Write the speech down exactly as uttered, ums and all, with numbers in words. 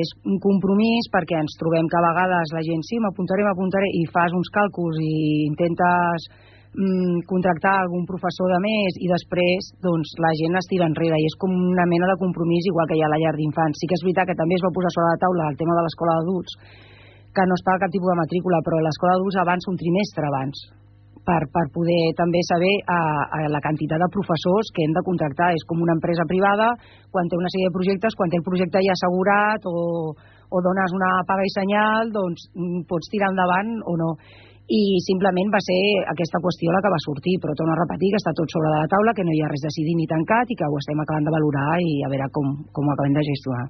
És un compromís perquè ens trobem que a vegades la gent, sí, m'apuntaré, m'apuntaré, i fas uns càlculs i intentes mm, contractar algun professor de més i després doncs, la gent es tira enrere i és com una mena de compromís igual que hi ha a la llar d'infants. Sí que és veritat que també es va posar sobre la taula el tema de l'escola d'adults, que no es paga cap tipus de matrícula, però l'escola d'adults avança un trimestre abans per, per poder també saber a, a la quantitat de professors que hem de contractar. És com una empresa privada, quan té una sèrie de projectes, quan té el projecte ja assegurat o, o dones una paga i senyal, doncs pots tirar endavant o no. I simplement va ser aquesta qüestió la que va sortir, però torno a repetir que està tot sobre de la taula, que no hi ha res decidit ni tancat i que ho estem acabant de valorar i a veure com, com ho acabem de gestionar.